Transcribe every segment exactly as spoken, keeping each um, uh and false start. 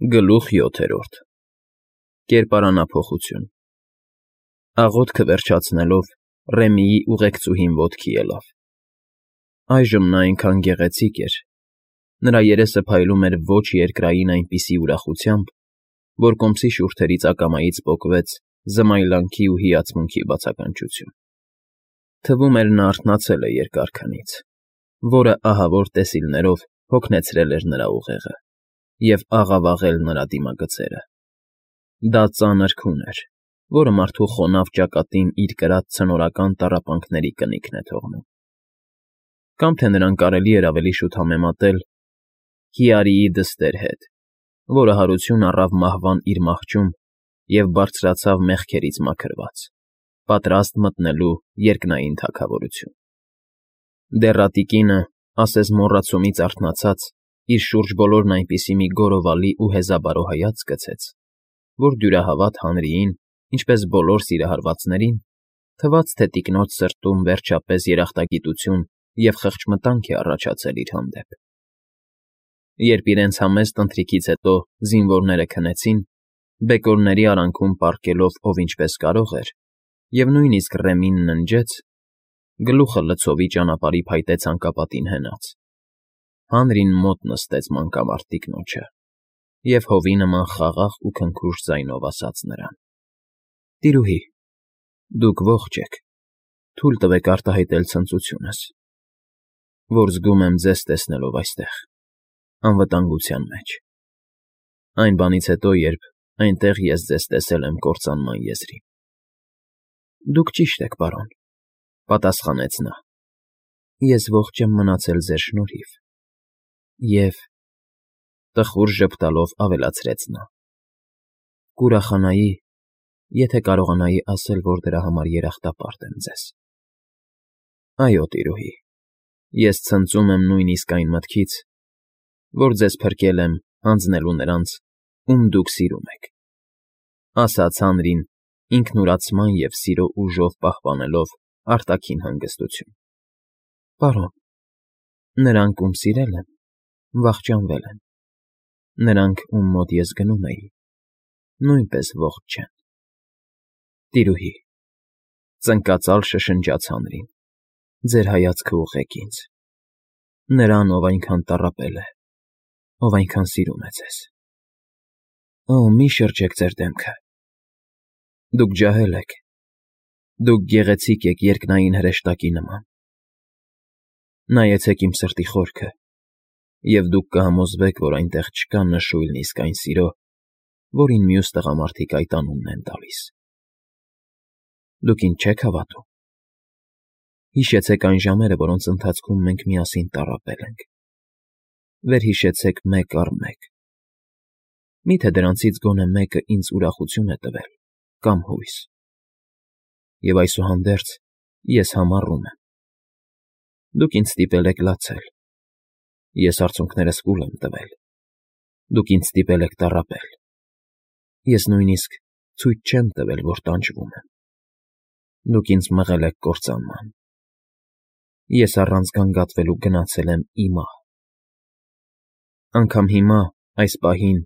Գլուխ յոթերորդ Կերպարանափոխություն Աղոթքը վերջացնելով, Ռեմիի ուղեկցուհին ոտքի ելավ. այժմ նա այնքան գեղեցիկ էր, նրա երեսը փայլում էր ոչ երկրային այնպիսի ուրախությամբ, որ կոմսի շուրթերից ակամայից պոկվեց զմայլանքի ու հիացմունքի բացականչություն. թվում էր նա արթնացել է երկար քնից, որը ահավոր տեսիլներով հոգնեցրել էր նրա ուղեղը և աղավաղել նրա դիմագծերը. դա ծանր քուն էր, որը մարդու խոնավ ճակատին իր կրած ցնորական տառապանքների կնիքն է թողնում, կամ թե նրան կարելի էր ավելի շուտ համեմատել Հիարիի դստեր հետ, որը հարություն առավ մահվան իր մահճում և բարձրացավ մեղքերից մաքրված, պատրաստ մտնելու երկնային թագավորություն. Դեռատի կինը, ասես մոռացումից արթնացած, իր շուրջ բոլորն այնպիսի մի գորովալի ու հեզաբարո հայացք գցեց, որ դյուրահավատ Հանրիին, ինչպես բոլոր սիրահարվածներին, թվաց, թե տիկնոջ սրտում վերջապես երախտագիտություն և խղճմտանք է առաջացել իր հանդեպ. Երբ իրենց համեստ ընթրիքից հետո զինվորները քնեցին, բեկորների արանքում պառկելով ով ինչպես կարող էր, և նույնիսկ Ռեմին ննջեց, գլուխը լցովի ճանապարհի փայտե ցանկապատին հենած, Հանրին մոտ նստեց մանկամարտ տիկնոջը և հովի նման խաղաղ ու քնքուշ ձայնով ասաց նրան. «Տիրուհի, դուք ողջ եք, թույլ տվեք արտահայտել ցնծությունս, որ զգում եմ ձեզ տեսնելով այստեղ, անվտանգության մեջ, այն բանից հետո, երբ այնտեղ ես ձեզ տեսել եմ կործանման եզրին»։ ֊ Դուք ճիշտ եք, պարոն,֊ պատասխանեց նա,֊ ես ողջ եմ մնացել ձեր շնորհիվ, և, տխուր ժպտալով ավելացրեց նա, կուրախանայի, եթե կարողանայի ասել, որ դրա համար երախտապարտ եմ ձեզ։ ֊ Այո, տիրուհի, ես ցնծում եմ նույնիսկ այն մտքից, որ ձեզ փրկել եմ հանձնելու նրանց, ում դուք սիրում եք,֊ ասաց Հանրին ինքնուրացման և սիրո ուժով պահպանելով արտաքին հանգստություն։ ֊ Պարոն, նրանք, ում սիրել եմ, վախճանվել են, նրանք, ում մոտ ես գնում էի, նույնպես ողջ չեն։ ֊ Տիրուհի,֊ ծնկածալ շշնջաց Հանրին,֊ ձեր հայացքը ուղղեք ինձ, նրան, ով այնքան տառապել է, ով այնքան սիրում է ձեզ։ Օ, մի շրջեք ձեր դեմքը, դուք ջահել եք, դուք գեղեցիկ եք երկնային հրեշտակի նման, նայեցեք իմ սրտի խորքը, և դուք կհամոզվեք, որ այնտեղ չկա նշույլն իսկն այն սիրո, որին մյուս տղամարդիկ այդ անունն են տալիս։ Դուք ինձ չեք հավատում։ Հիշեցեք այն ժամերը, որոնց ընթացքում մենք միասին տառապել ենք, վերհիշեցեք մեկ առ մեկ, մի՞թե դրանցից գոնե մեկը ինձ ուրախություն է տվել կամ հույս։ Եվ այսուհանդերձ ես համառում եմ. դուք ինձ ստիպել եք լացել, ես արցունքներս կուլ եմ տվել, դուք ինձ ստիպել եք տառապել, ես նույնիսկ ցույց չեմ տվել, որ տանջվում եմ, դուք ինձ մղել եք կործանման, ես առանց գանգատվելու գնացել եմ ի մահ։ Անգամ հիմա, այս պահին,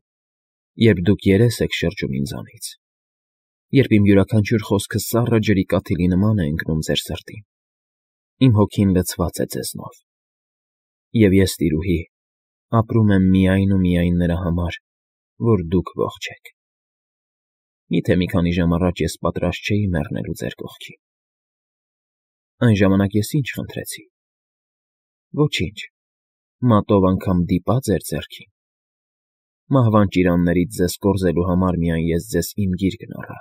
երբ դուք երես եք շրջում ինձանից, երբ իմ յուրաքանչյուր խոսքը սառը ջրի կաթիլի նման է ընկնում ձեր սրտին, իմ հոգին լցված է ձեզնով, և ես, տիրուհի, ապրում եմ միայն ու միայն նրա համար, որ դուք ողջ եք։ Մի՞թե մի քանի ժամ առաջ ես պատրաստ չէի մեռնելու ձեր կողքին։ Այն ժամանակ ես ի՞նչ խնդրեցի։ Ոչինչ, մատով անգամ դիպա՞ ձեր ձեռքին։ Մահվան ճիրաններից ձեզ կորզելու համար միայն ես ձեզ իմ գիրկն առա,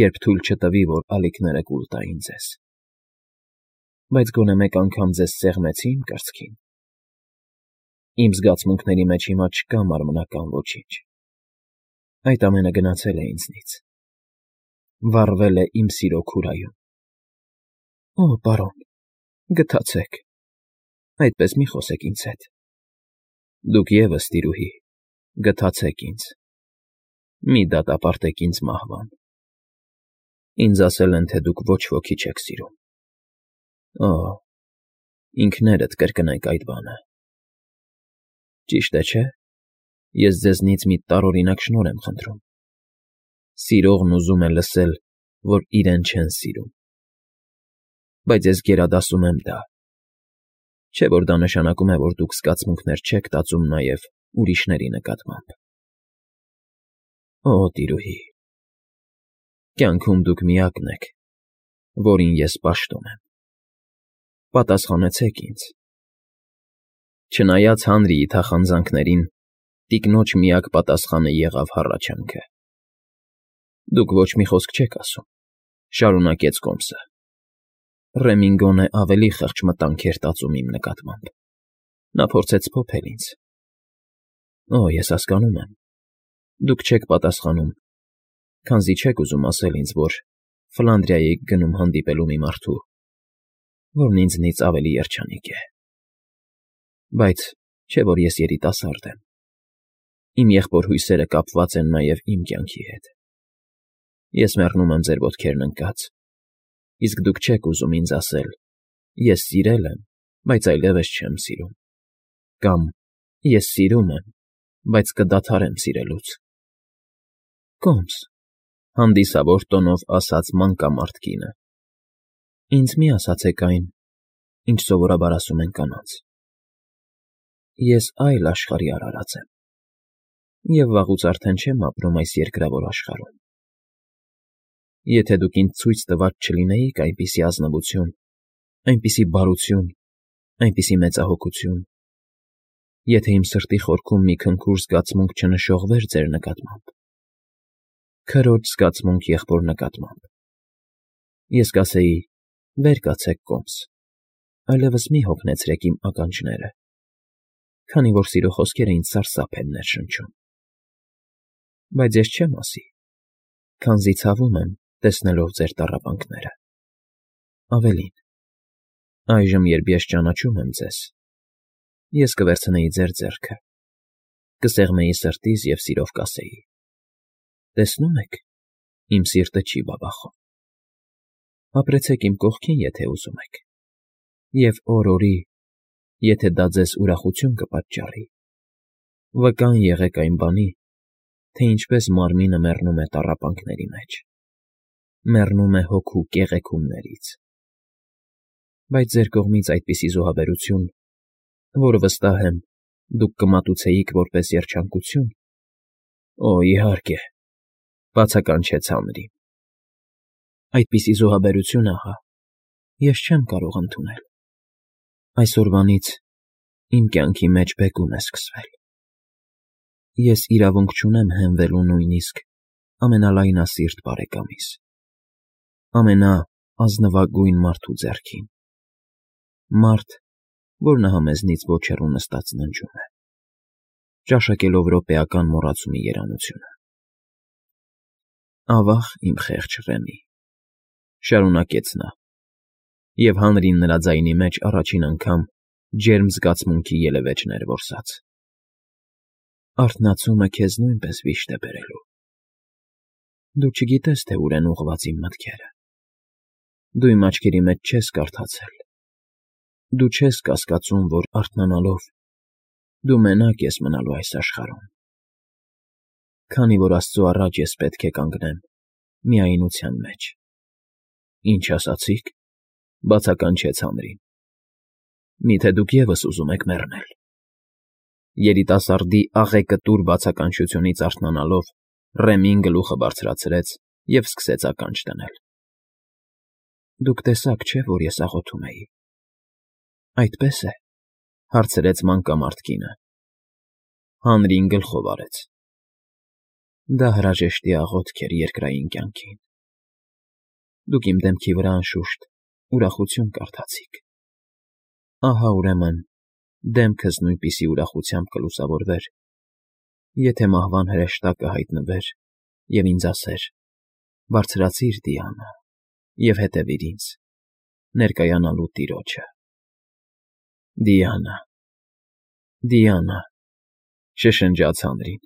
երբ թույլ չտվի, որ ալիքները կուլ տային ձեզ։ Բայց գոնե մեկ անգամ ձեզ սեղմեցի՞ իմ կրծքին։ Իմ զգացմունքների մեջ հիմա չկա մարմնական ոչինչ, այդ ամենը գնացել է ինձնից, վառվել է իմ սիրո քուրայում։ Օ, պարոն, գթացեք, այդպես մի խոսեք ինձ հետ։ Դուք ևս, տիրուհի, գթացեք ինձ, մի դատապարտեք ինձ մահվան։ Ինձ ասել են, թե դուք ոչ ոքի չեք սիրում։ Օ, ինքներդ կրկնեք այդ բանը։ Ճիշտ է, չէ՞։ Ես ձեզնից մի տարօրինակ շնորհ եմ խնդրում. սիրողն ուզում է լսել, որ իրեն չեն սիրում, բայց ես գերադասում եմ դա, չէ՞ որ դա նշանակում է, որ դուք զգացմունքներ չեք տածում նաև ուրիշների նկատմամբ։ Օ, տիրուհի, կյանքում դուք միակն եք, որին ես պաշտում եմ, պատասխանեցեք ինձ։ Չնայած Հանրիի թախանձանքներին, տիկնոջ միակ պատասխանը եղավ հառաչանքը։ Դուք ոչ մի խոսք չեք ասում, շարունակեց Կոմսը։ Ռեմին գոնե ավելի խեղճ մտանք էր տածում իմ նկատմամբ։ Նա փորձեց փոփել ինձ։ Օ, ես հասկանում եմ, դուք չեք պատասխանում, քանզի չեք ուզում ասել ինձ, որ Ֆլանդրիայի եք գնում հանդիպելու մի մարդու, որն ինձնից ավելի երջանիկ է։ Բայց չէ՞ որ ես երիտասարդ եմ։ Իմ եղբոր հույսերը կապված են նաև իմ կյանքի հետ։ Ես մեռնում եմ ձեր ոտքերն ընկած, իսկ դուք չեք ուզում ինձ ասել. ես սիրել եմ, բայց այլևս չեմ սիրում, կամ ես սիրում եմ, բայց կդադարեմ սիրելուց։ Կոմս, հանդիսավոր տոնով ասաց մանկամարդ կինը, ինձ մի ասացեք այն, ինչ սովորաբար ասում են կանանց. ես այլ աշխարհի արարած եմ, և վաղուց արդեն չեմ ապրում այս երկրավոր աշխարհում։ Եթե դուք ինձ ցույց տված չլինեիք այնպիսի ազնվություն, այնպիսի բարություն, այնպիսի մեծահոգություն, եթե իմ սրտի խորքում մի քնքուշ զգացմունք չնշողվեր ձեր նկատմամբ, քրոջ զգացմունք եղբոր նկատմամբ, ես կասեի. վեր կացեք, Կոմս, այլևս մի հոգնեցրեք իմ ականջները, քանի որ սիրո խոսքերը ինձ սարսափ են ներշնչում։ Բայց ես չեմ ասի, քանզի ցավում եմ, տեսնելով ձեր տառապանքները։ Ավելին, այժմ, երբ ես ճանաչում եմ ձեզ, ես կվերցնեի ձեր ձեռքը, կսեղմեի սրտիս և սիրով կասեի. տեսնում եք, իմ սիրտը չի բաբախում։ Ապրեցեք իմ կողքին, եթե ուզում եք, և օր֊օրի, եթե դա ձեզ ուրախություն կպատճառի, վկան եղեք այն բանի, թե ինչպես մարմինը մեռնում է տառապանքների մեջ, մեռնում է հոգու կեղեքումներից։ Բայց ձեր կողմից այդպիսի զոհաբերություն, որը վստահ եմ, դուք կմատուցեիք որպես երջանկություն, օ, իհարկե, բացականչեց Հանրին։ Այդպիսի զոհաբերություն, ահա, ես չեմ կարող ընդունել։ Այսօրվանից իմ կյանքի մեջ բեկում է սկսվել։ Ես իրավունք չունեմ հենվելու նույնիսկ ամենալայնասիրտ բարեկամիս, ամենաազնվագույն մարդու ձեռքին, մարդ, որ նահա մեզնից ոչ հեռու նստած ննջում է, ճաշակելով րոպեական մոռացումի երանությունը։ Ավա՜ղ, իմ խեղճ Ռեմի, շարունակեց նա, և Հանրին նրա ձայնի մեջ առաջին անգամ ջերմ զգացմունքի ելևէջներ որսաց։ Արթնացումը քեզ նույնպես վիշտ է բերելու։ Դու չգիտես, թե ուր են ուղղված իմ մտքերը։ Դու իմ աչքերի մեջ չես կարդացել։ Դու չես կասկածում, որ արթնանալով դու մենակ ես մնալու այս աշխարհում, քանի որ Աստծու առաջ ես պետք է կանգնեմ միայնության մեջ։ Ինչ ասացիք, բացականչեց Հանրին։ Միթե դուք ևս ուզում եք մեռնել։ Երիտասարդի աղեկտուր բացականչությունից արթնանալով Ռեմին գլուխը բարձրացրեց և սկսեց ականջ դնել։ Դուք տեսաք, չէ՞, որ ես աղոթում էի։ Այդպե՞ս է, հարցրեց մանկամարդ կինը։ Հանրին գլխով արեց։ Դա հրաժեշտի աղոթք էր երկրային կյանքին։ Դուք իմ դեմքի վրա անշուշտ ուրախություն կարդացիք։ Ահա, ուրեմն, դեմքս նույնպիսի ուրախությամբ կլուսավորվեր, եթե մահվան հրեշտակը հայտնվեր և ինձ ասեր. «Բարձրացի՛ր, Դիանա, և հետևի՛ր ինձ, ներկայանալու տիրոջը»։ Դիանա, Դիանա, շշնջաց Հանրին,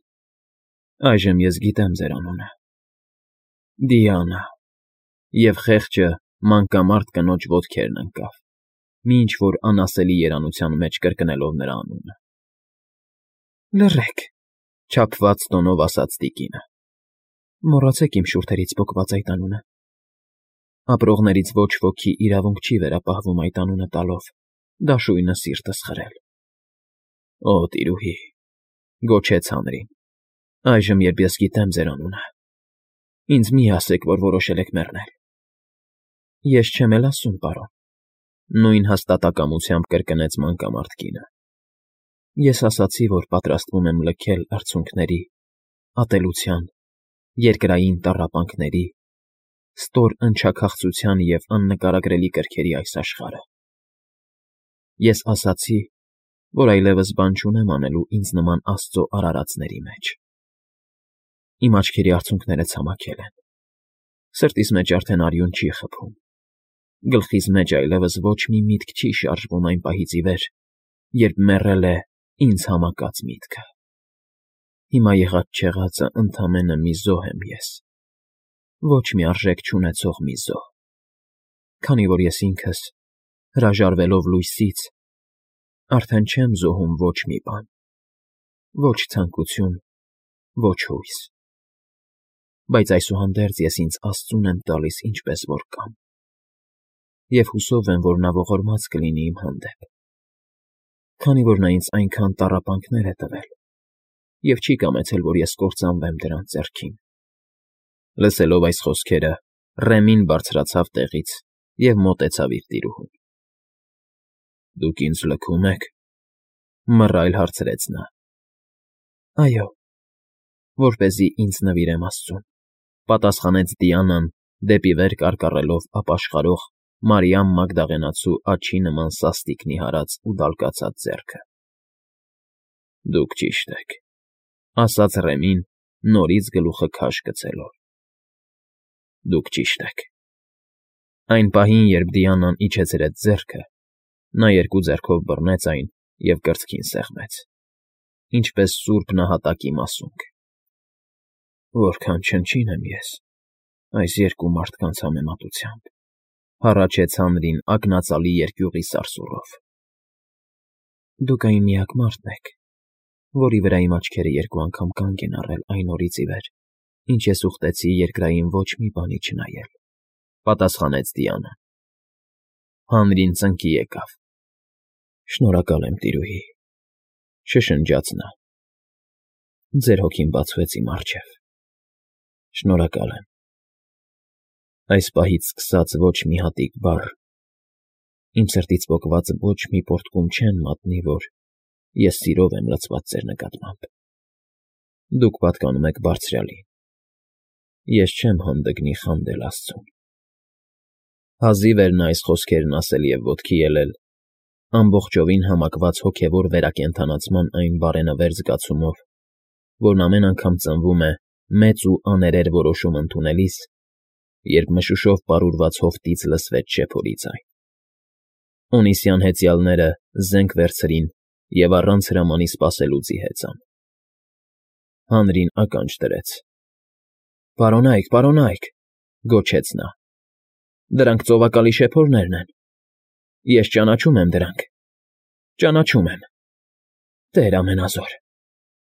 այժմ ես գիտեմ ձեր անունը։ Դիանա, և խեղճը մանկամարդ կնոջ ոտքերն ընկավ, մի ինչ֊որ անասելի երանության մեջ կրկնելով նրա անունը։ Լռեք, Չափված տոնով ասաց տիկինը։ Մոռացեք իմ շուրթերից պոկված այդ անունը։ Ապրողներից ոչ ոքի իրավունք չի վերապահվում այդ անունը տալով, դաշույնը սիրտս խրել։ Օ, տիրուհի, գոչեց Հանրին, այժմ երբ ես գիտեմ ձեր անունը, ինձ մի ասեք, որ որոշել եք մեռնել։ Ես չեմ էլ ասում, պարոն, նույն հաստատակամությամբ կրկնեց մանկամարդ կինը։ Ես ասացի, որ պատրաստվում եմ լքել արցունքների, ատելության, երկրային տառապանքների, ստոր ընչաքաղցության և աննկարագրելի կրքերի այս աշխարհը։ Ես ասացի, որ այլևս բան չունեմ անելու ինձ նման աստծո արարածների մեջ։ Իմ աչքերի արցունքները ցամաքել են, սրտիս մեջ արդեն արյուն չի խփում, գլխիս մեջ այլևս ոչ մի միտք չի շարժվում այն պահից ի վեր, երբ մեռել է ինձ համակած միտքը։ Հիմա եղած֊չեղածը ընդամենը մի զոհ եմ ես, ոչ մի արժեք չունեցող մի զոհ, քանի որ ես ինքս, հրաժարվելով լույսից, արդեն չեմ զոհում ոչ մի բան, ոչ ցանկություն, ոչ հույս, բայց այսուհանդերձ ես ինձ Աստծուն եմ տալիս ինչպես որ կամ, և հուսով եմ, որ նա ողորմած կլինի իմ հանդեպ, քանի որ նա ինձ այնքան տառապանքներ է տվել և չի կամեցել, որ ես կործանվեմ դրանց ձեռքին։ Լսելով այս խոսքերը, Ռեմին բարձրացավ տեղից և մոտեցավ իր տիրուհուն։ Դուք ինձ լքում եք, մռայլ հարցրեց նա։ Այո, որպեսզի ինձ նվիրեմ Աստծուն, պատասխանեց Դիանան, դեպի վեր կարկառելով ապաշխարող Մարիամ Մագդաղենացու աջի նման սաստիկ նիհարած ու դալկացած ձեռքը։ Դուք ճիշտ եք, ասաց Ռեմին, նորից գլուխը քաշ գցելով։ Դուք ճիշտ եք։ Այն պահին, երբ Դիանան իջեցրեց ձեռքը, նա երկու ձեռքով բռնեց այն և կրծքին սեղմեց, ինչպես սուրբ նահատակի մասունք։ Որքան չնչին եմ ես այս երկու մարդկանց համեմատությամբ, հառաչեց Հանրին ակնածալի երկյուղի սարսուռով։ Դուք այն միակ մարդն եք, որի վրա իմ աչքերը երկու անգամ կանգ են առել այն օրից ի վեր, ինչ ես ուխտեցի երկրային ոչ մի բանի չնայել, պատասխանեց Դիանան։ Հանրին ծնկի եկավ։ Շնորհակալ եմ, տիրուհի, շշնջաց նա։ Ձեր հոգին բացվեց իմ առջև։ Շնորհակալ եմ։ Այս պահից սկսած ոչ մի հատիկ բառ, իմ սրտից պոկված ոչ մի պոռթկում չեն մատնի, որ ես սիրով եմ լցված ձեր նկատմամբ։ Դուք պատկանում եք Բարձրյալին։ Ես չեմ հանդգնի խանդել Աստծուն։ Հազիվ էր նա այս խոսքերն ասել և ոտքի ելել, ամբողջովին համակված հոգևոր վերակենդանացման այն բարենավեր զգացումով, որն ամեն անգամ ծնվում է մեծ ու աներեր որոշում ընդունելիս, երբ մշուշով պարուրված հովտից լսվեց շեփորի ձայն։ Օնիսյան հեծյալները զենք վերցրին և առանց հրամանի սպասելու ձիհեցան։ Հանրին ականջ դրեց։ Պարոնա՛յք, պարոնա՛յք, գոչեց նա։ Դրանք ծովակալի շեփորներն են։ Ես ճանաչում եմ դրանք։ Ճանաչում եմ։ Տեր ամենազոր,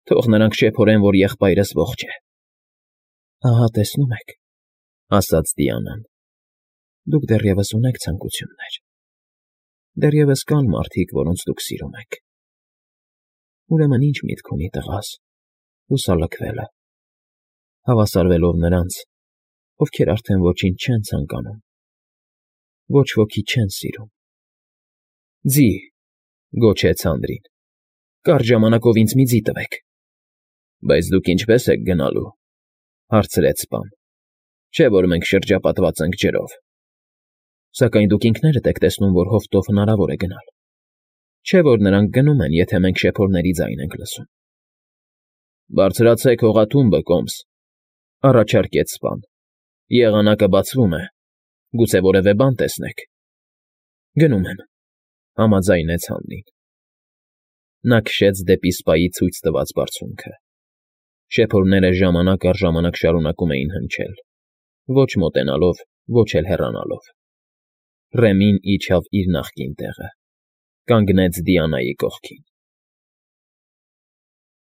թող նրանք շեփորեն, որ եղբայրս ողջ է։ Ահա տեսնում եք, ասաց Դիանան, դուք դեռևս ունեք ցանկություններ։ Դեռևս կան մարդիկ, որոնց դուք սիրում եք։ Ուրեմն ինչ միտք ունի տղաս, հուսալքվելը, հավասարվելով նրանց, ովքեր արդեն ոչինչ չեն ցանկանում, ոչ ոքի չեն սիրում։ Ձի, գոչեց Հանրին, կարճ ժամանակով ինձ մի ձի տվեք։ Բայց դուք ինչպե՞ս եք գնալու, հարցրեց սպան, չէ՞ որ մենք շրջապատված ենք ջրով։ Սակայն դուք ինքներդ եք տեսնում, որ հովտով հնարավոր է գնալ։ Չէ՞ որ նրանք գնում են, եթե մենք շեփորների ձայն ենք լսում։ Բարձրացեք հողաթումբը, կոմս, առաջարկեց սպան։ Եղանակը բացվում է, գուցե որևէ բան տեսնեք։ Գնում եմ, համաձայնեց Հանրին։ Նա քշեց դեպի սպայի ցույց տված բարձունքը։ Շեփորները ժամանակ առ ժամանակ շարունակում էին հնչել, ոչ մոտենալով, ոչ էլ հեռանալով։ Ռեմին իջավ իր նախկին տեղը, կանգնեց Դիանայի կողքին։